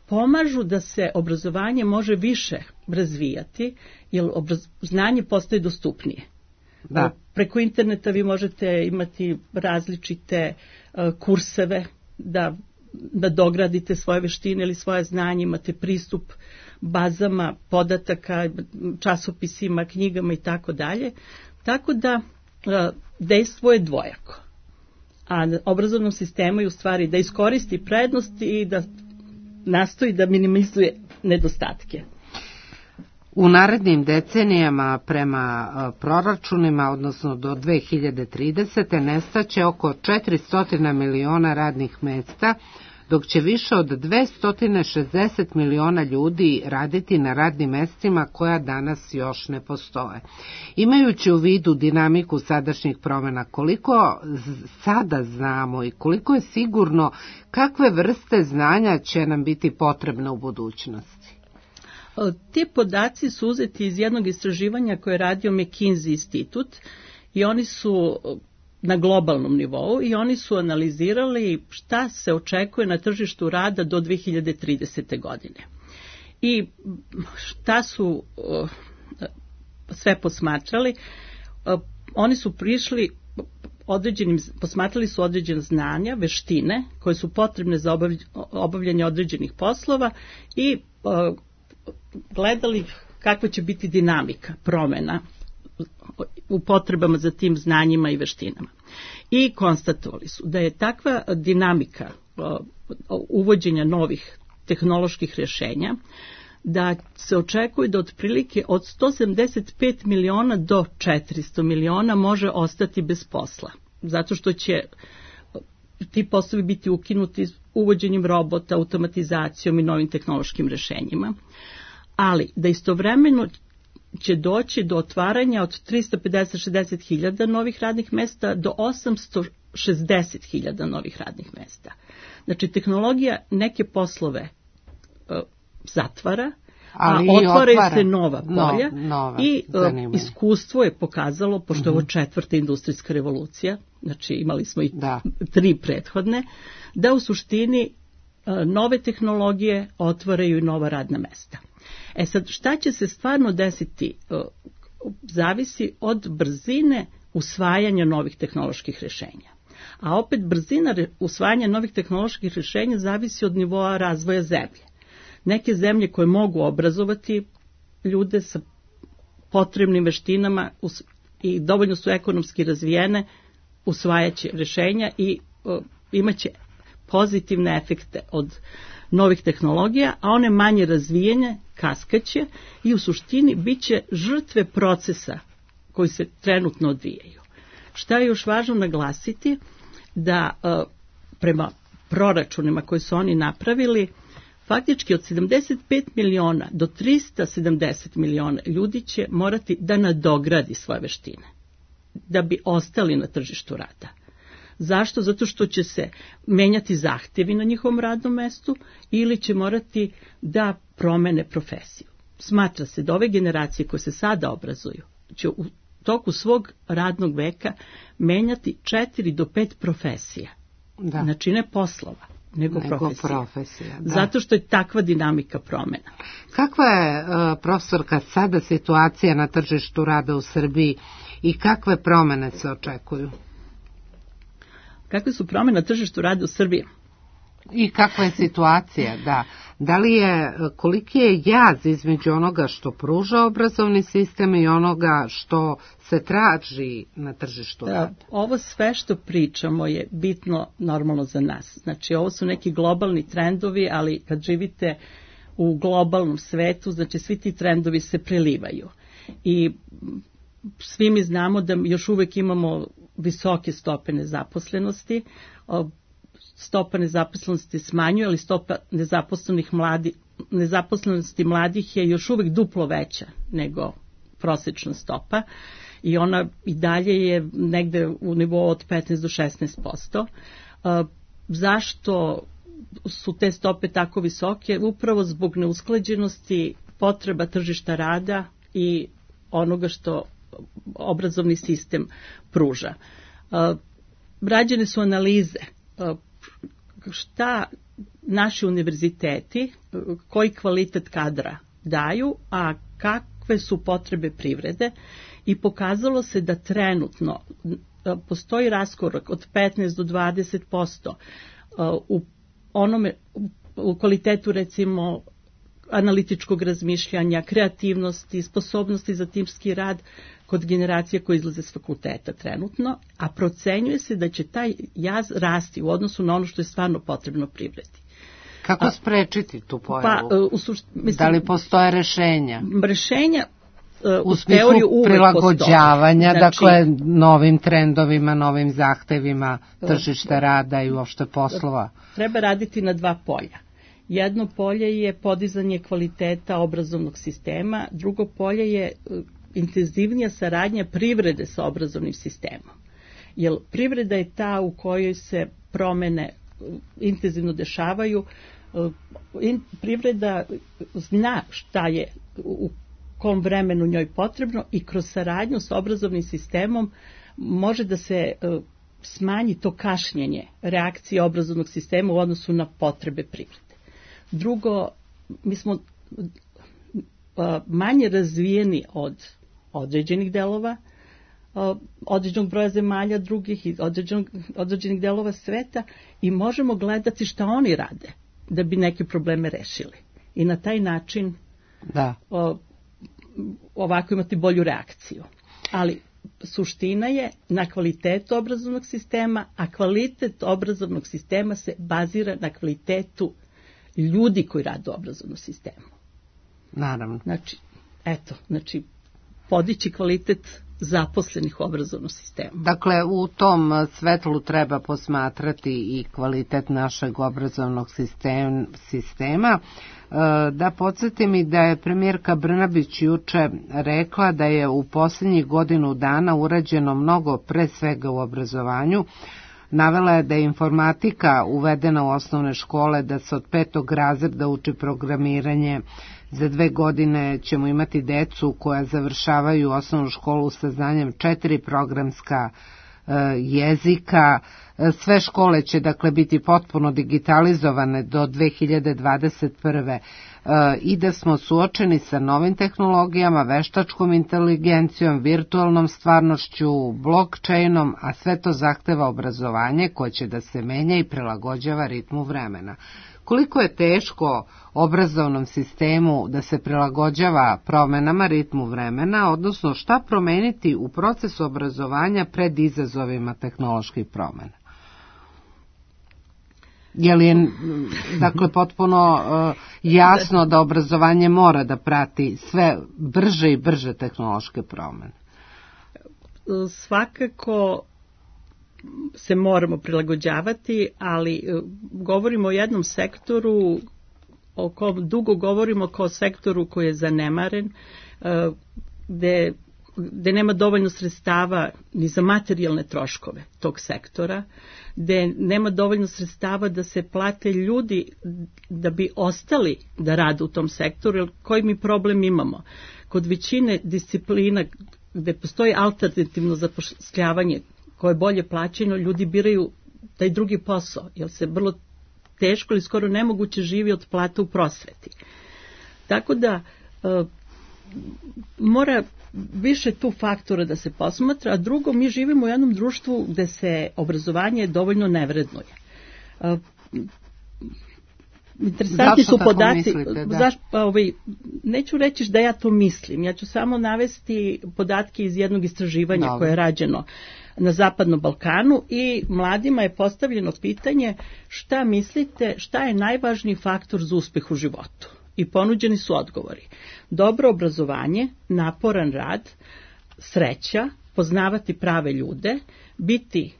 pomažu da se obrazovanje može više razvijati, jer znanje postaje dostupnije. Da. Preko interneta vi možete imati različite kurseve da dogradite svoje veštine ili svoje znanje, imate pristup bazama podataka, časopisima, knjigama i tako dalje. Tako da dejstvo je dvojako. A obrazovnom sistemu je u stvari da iskoristi prednosti i da nastoji da minimizuje nedostatke. U narednim decenijama prema proračunima, odnosno do 2030. nestaće oko 400 miliona radnih mesta, dok će više od 260 miliona ljudi raditi na radnim mestima koja danas još ne postoje. Imajući u vidu dinamiku sadašnjih promjena, koliko sada znamo i koliko je sigurno kakve vrste znanja će nam biti potrebne u budućnosti? Ti podaci su uzeti iz jednog istraživanja koje je radio McKinsey institut i oni su na globalnom nivou i oni su analizirali šta se očekuje na tržištu rada do 2030. godine. I šta su sve posmatrali? Oni su prišli posmatrali su određene znanja, veštine koje su potrebne za obavljanje određenih poslova i gledali kakva će biti dinamika promjena u potrebama za tim znanjima i veštinama. I konstatovali su da je takva dinamika uvođenja novih tehnoloških rješenja da se očekuje da otprilike od 175 miliona do 400 miliona može ostati bez posla. Zato što će ti poslovi biti ukinuti uvođenjem robota, automatizacijom i novim tehnološkim rješenjima. ali da istovremeno će doći do otvaranja od 350-60 hiljada novih radnih mesta do 860 hiljada novih radnih mesta. Znači, tehnologija neke poslove zatvara, a otvaraju se nova polja i iskustvo je pokazalo, pošto je ovo 4. industrijska revolucija, znači imali smo i 3 prethodne, da u suštini nove tehnologije otvaraju i nova radna mesta. Sad, šta će se stvarno desiti zavisi od brzine usvajanja novih tehnoloških rješenja. A opet brzina usvajanja novih tehnoloških rješenja zavisi od nivoa razvoja zemlje. Neke zemlje koje mogu obrazovati ljude sa potrebnim veštinama i dovoljno su ekonomski razvijene, usvajaće rješenja i imaće pozitivne efekte od novih tehnologija, a one manje razvijene kaskaće i u suštini bit će žrtve procesa koji se trenutno odvijaju. Šta je još važno naglasiti? Da prema proračunima koji su oni napravili, faktički od 75 miliona do 370 miliona ljudi će morati da nadogradi svoje veštine da bi ostali na tržištu rada. Zašto? Zato što će se menjati zahtjevi na njihovom radnom mestu ili će morati da promene profesiju. Smatra se da ove generacije koje se sada obrazuju će u toku svog radnog veka menjati 4 do 5 profesija. Da. Znači ne poslova, nego profesija. Zato što je takva dinamika promjena. Kakva je, profesorka, sada situacija na tržištu rada u Srbiji i kakve promjene se očekuju? Kakve su promjene na tržištu rada u Srbiji? I kakva je situacija, da. Da li je, koliki je jaz između onoga što pruža obrazovni sistem i onoga što se traži na tržištu rada? Ovo sve što pričamo je bitno normalno za nas. Znači, ovo su neki globalni trendovi, ali kad živite u globalnom svetu, znači svi ti trendovi se prelivaju. I svi mi znamo da još uvijek imamo visoke stope nezaposlenosti. Stopa nezaposlenosti smanjuje, ali stopa nezaposlenosti mladih je još uvijek duplo veća nego prosječna stopa i ona i dalje je negde u nivou od 15 do 16%. Zašto su te stope tako visoke? Upravo zbog neusklađenosti potreba tržišta rada i onoga što obrazovni sistem pruža. Rađene su analize šta naši univerziteti, koji kvalitet kadra daju, a kakve su potrebe privrede i pokazalo se da trenutno postoji raskorak od 15 do 20% u kvalitetu recimo analitičkog razmišljanja, kreativnosti, sposobnosti za timski rad kod generacija koje izlaze s fakulteta trenutno, a procenjuje se da će taj jaz rasti u odnosu na ono što je stvarno potrebno privredi. Kako sprečiti tu pojavu? Da li postoje rešenja? Rešenja u smislu prilagođavanja, dakle, novim trendovima, novim zahtevima tržišta rada i uopšte poslova. Treba raditi na 2 polja. Jedno polje je podizanje kvaliteta obrazovnog sistema, drugo polje je intenzivnija saradnja privrede sa obrazovnim sistemom. Jer privreda je ta u kojoj se promene intenzivno dešavaju. Privreda zna šta je u kom vremenu njoj potrebno i kroz saradnju sa obrazovnim sistemom može da se smanji to kašnjenje reakcije obrazovnog sistema u odnosu na potrebe privrede. Drugo, mi smo manje razvijeni od određenih delova, određenog broja zemalja drugih i određenih delova sveta i možemo gledati šta oni rade da bi neke probleme rešili. I na taj način ovako imati bolju reakciju. Ali suština je na kvalitetu obrazovnog sistema, a kvalitet obrazovnog sistema se bazira na kvalitetu ljudi koji rade u obrazovnom sistemu. Naravno. Znači, podići kvalitet zaposlenih u obrazovnom sistemu. Dakle, u tom svetlu treba posmatrati i kvalitet našeg obrazovnog sistema. Da podsjetim i da je premijerka Brnabić juče rekla da je u posljednjih godinu dana urađeno mnogo, pre svega u obrazovanju. Navela je da je informatika uvedena u osnovne škole, da se od 5. razreda uči programiranje. Za 2 godine ćemo imati decu koja završavaju osnovnu školu sa znanjem 4 programska jezika. Sve škole će dakle biti potpuno digitalizovane do 2021. I da smo suočeni sa novim tehnologijama, veštačkom inteligencijom, virtualnom stvarnošću, blockchainom, a sve to zahteva obrazovanje koje će da se menja i prilagođava ritmu vremena. Koliko je teško obrazovnom sistemu da se prilagođava promenama ritmu vremena, odnosno šta promeniti u procesu obrazovanja pred izazovima tehnoloških promena? Je li je, dakle, potpuno jasno da obrazovanje mora da prati sve brže i brže tehnološke promene? Svakako se moramo prilagođavati, ali govorimo o jednom sektoru o kom dugo govorimo kao sektoru koji je zanemaren, gde nema dovoljno sredstava ni za materijalne troškove tog sektora, gde nema dovoljno sredstava da se plate ljudi da bi ostali da rade u tom sektoru, jer koji mi problem imamo? Kod većine disciplina gde postoji alternativno zapošljavanje koje je bolje plaćeno, ljudi biraju taj drugi posao, jer se vrlo teško ili skoro nemoguće živi od plata u prosveti. Tako da mora više tu faktora da se posmatra, a drugo, mi živimo u jednom društvu gde se obrazovanje dovoljno ne vrednuje. Interesantni su podaci. Neću reći da ja to mislim, ja ću samo navesti podatke iz jednog istraživanja koje je rađeno na Zapadnom Balkanu i mladima je postavljeno pitanje šta mislite, šta je najvažniji faktor za uspeh u životu. I ponuđeni su odgovori. Dobro obrazovanje, naporan rad, sreća, poznavati prave ljude, biti,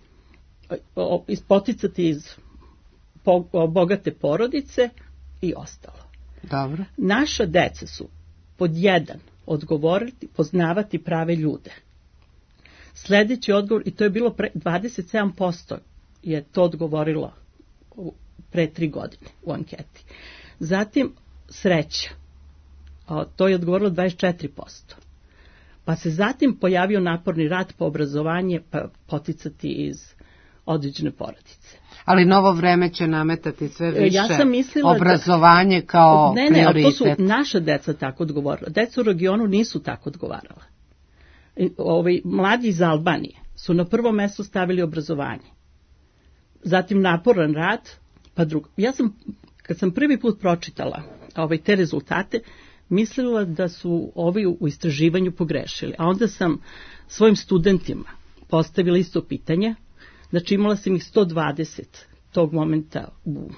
poticati iz bogate porodice i ostalo. Dobro. Naša deca su pod 1 odgovoriti, poznavati prave ljude. Sljedeći odgovor, i to je bilo 27% je to odgovorilo pre 3 godine u anketi. Zatim sreća, to je odgovorilo 24%. Pa se zatim pojavio naporni rad po obrazovanje, pa poticati iz određene porodice. Ali novo vreme će nametati sve više obrazovanje kao prioritet. Ne, to su naša deca tako odgovorila. Deca u regionu nisu tako odgovarala. Mladi iz Albanije su na prvo mesto stavili obrazovanje. Zatim naporan rad, pa drugo. Ja sam, kad sam prvi put pročitala te rezultate, mislila da su ovi u istraživanju pogrešili. A onda sam svojim studentima postavila isto pitanje. Znači imala sam ih 120 tog momenta u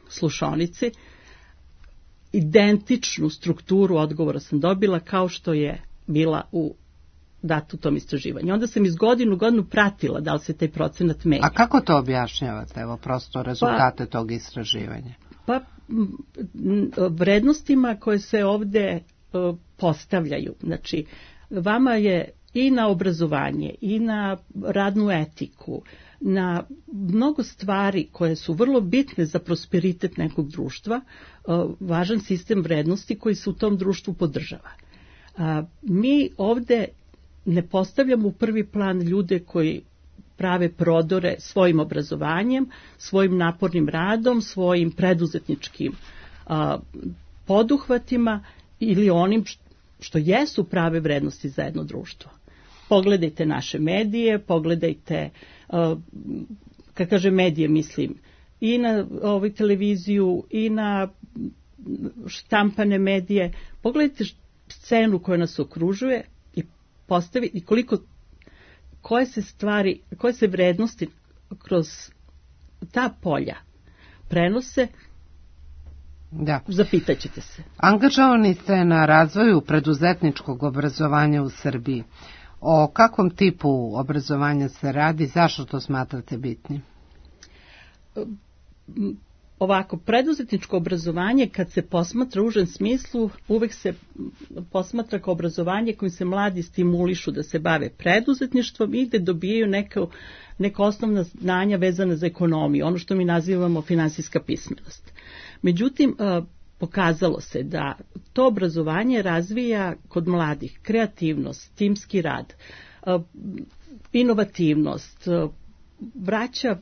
slušaonici. Identičnu strukturu odgovora sam dobila kao što je bila u datu tom istraživanju. Onda sam iz godinu pratila da li se taj procenat menja. A kako to objašnjavate, evo prosto rezultate tog istraživanja? Pa vrednostima koje se ovde postavljaju. Znači, vama je i na obrazovanje, i na radnu etiku, na mnogo stvari koje su vrlo bitne za prosperitet nekog društva, važan sistem vrednosti koji se u tom društvu podržava. Mi ovde ne postavljamo u prvi plan ljude koji prave prodore svojim obrazovanjem, svojim napornim radom, svojim preduzetničkim poduhvatima ili onim što jesu prave vrednosti za jedno društvo. Pogledajte naše medije, pogledajte, kad kažem medije mislim, i na televiziju, i na štampane medije, pogledajte scenu koja nas okružuje i postavite koje se vrednosti kroz ta polja prenose. Da. Zapitat ćete se. Angažovani ste na razvoju preduzetničkog obrazovanja u Srbiji. O kakvom tipu obrazovanja se radi, zašto to smatrate bitnim? Ovako, preduzetničko obrazovanje kad se posmatra u užem smislu, uvek se posmatra kao obrazovanje kojim se mladi stimulišu da se bave preduzetništvom i gde dobijaju neka osnovna znanja vezana za ekonomiju, ono što mi nazivamo finansijska pismenost. Međutim, pokazalo se da to obrazovanje razvija kod mladih kreativnost, timski rad, inovativnost, vraća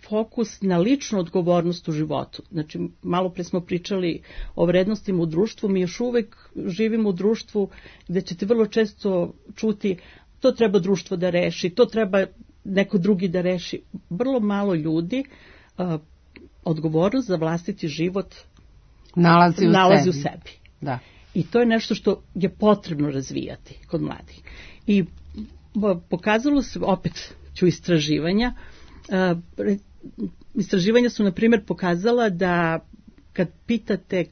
fokus na ličnu odgovornost u životu. Znači, malo pre smo pričali o vrednostima u društvu, mi još uvek živimo u društvu gde ćete vrlo često čuti to treba društvo da reši, to treba neko drugi da reši. Vrlo malo ljudi odgovornost za vlastiti život nalazi u sebi. Da. I to je nešto što je potrebno razvijati kod mladih. I pokazalo se, opet ću istraživanja su na primjer pokazala da kad pitate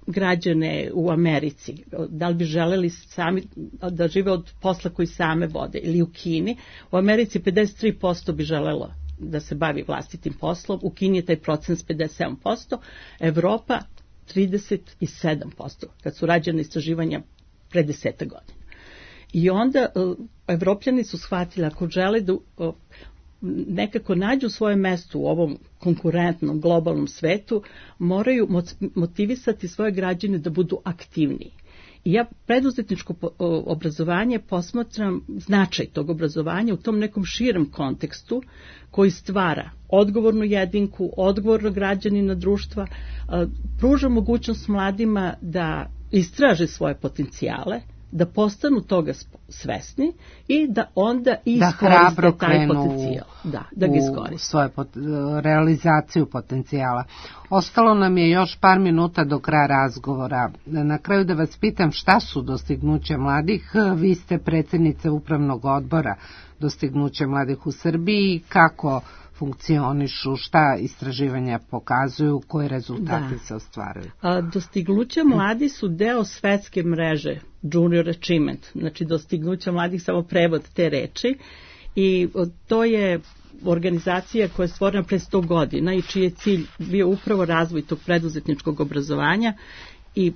građane u Americi da li bi želeli sami da žive od posla koji same vode ili u Kini, u Americi 53% bi želelo da se bavi vlastitim poslom, u Kini je taj procent 57%, Evropa 37%, kad su rađene istraživanja pre 10 godina. I onda Evropljani su shvatili ako žele da nekako nađu svoje mesto u ovom konkurentnom globalnom svetu, moraju motivisati svoje građane da budu aktivniji. I ja preduzetničko obrazovanje posmatram značaj tog obrazovanja u tom nekom širem kontekstu koji stvara odgovornu jedinku, odgovornog građanina društva, pruža mogućnost mladima da istraže svoje potencijale, da postanu toga svesni i da onda iskoriste taj potencijal. Da ga iskoriste. Svoju realizaciju potencijala. Ostalo nam je još par minuta do kraja razgovora. Na kraju da vas pitam šta su dostignuća mladih. Vi ste predsjednice Upravnog odbora dostignuća mladih u Srbiji. Kako funkcionišu, šta istraživanja pokazuju, koje rezultate se ostvaruju? Dostignuća mladi su deo svetske mreže Junior Achievement, znači dostignuća mladih, samo prevod te reči, i to je organizacija koja je stvorena pre 100 godina i čiji je cilj bio upravo razvoj tog preduzetničkog obrazovanja. I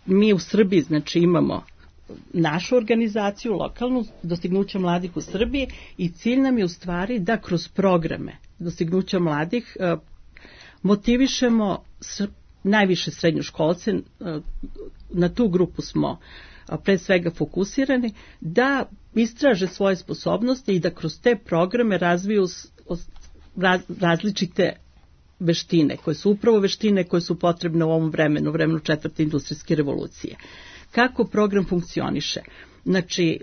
mi u Srbiji znači imamo našu organizaciju, lokalnu, dostignuća mladih u Srbiji, i cilj nam je u stvari da kroz programe dostignuća mladih motivišemo najviše srednjoškolce, na tu grupu smo pre svega fokusirani, da istraže svoje sposobnosti i da kroz te programe razviju različite veštine, koje su upravo veštine koje su potrebne u ovom vremenu 4. industrijske revolucije. Kako program funkcioniše? Znači,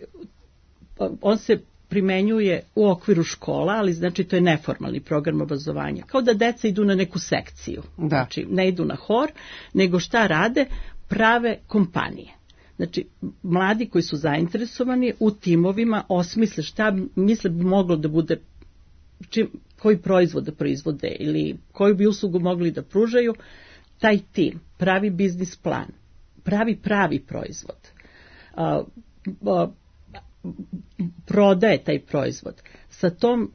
on se primenjuje u okviru škola, ali znači to je neformalni program obrazovanja. Kao da deca idu na neku sekciju. Da. Znači, ne idu na hor, nego šta rade? Prave kompanije. Znači, mladi koji su zainteresovani u timovima osmisle šta misle bi moglo da bude, koji proizvod da proizvode ili koju bi uslugu mogli da pružaju. Taj tim pravi biznis plan, pravi proizvod, prodaje taj proizvod. Sa tom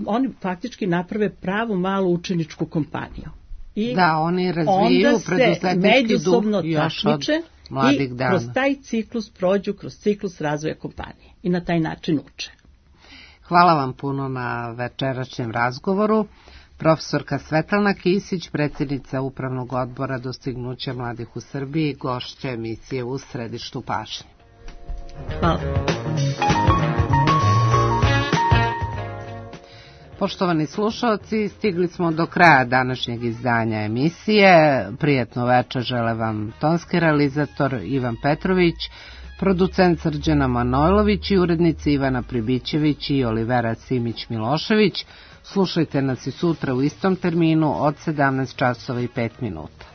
oni faktički naprave pravu malu učeničku kompaniju. I da, oni razvijaju preduzetnički duh međusobno još od mladih dana. Kroz taj ciklus prođu, kroz ciklus razvoja kompanije i na taj način uče. Hvala vam puno na večerašnjem razgovoru. Profesorka Svetlana Kisić, predsjednica Upravnog odbora dostignuća mladih u Srbiji, gošća emisije U središtu pažnje. Hvala. Poštovani slušalci, stigli smo do kraja današnjeg izdanja emisije. Prijatno večer žele vam tonski realizator Ivan Petrović, producent Srđana Manojlović i urednici Ivana Pribićević i Olivera Simić-Milošević. Slušajte nas i sutra u istom terminu od 17 časova i 5 minuta.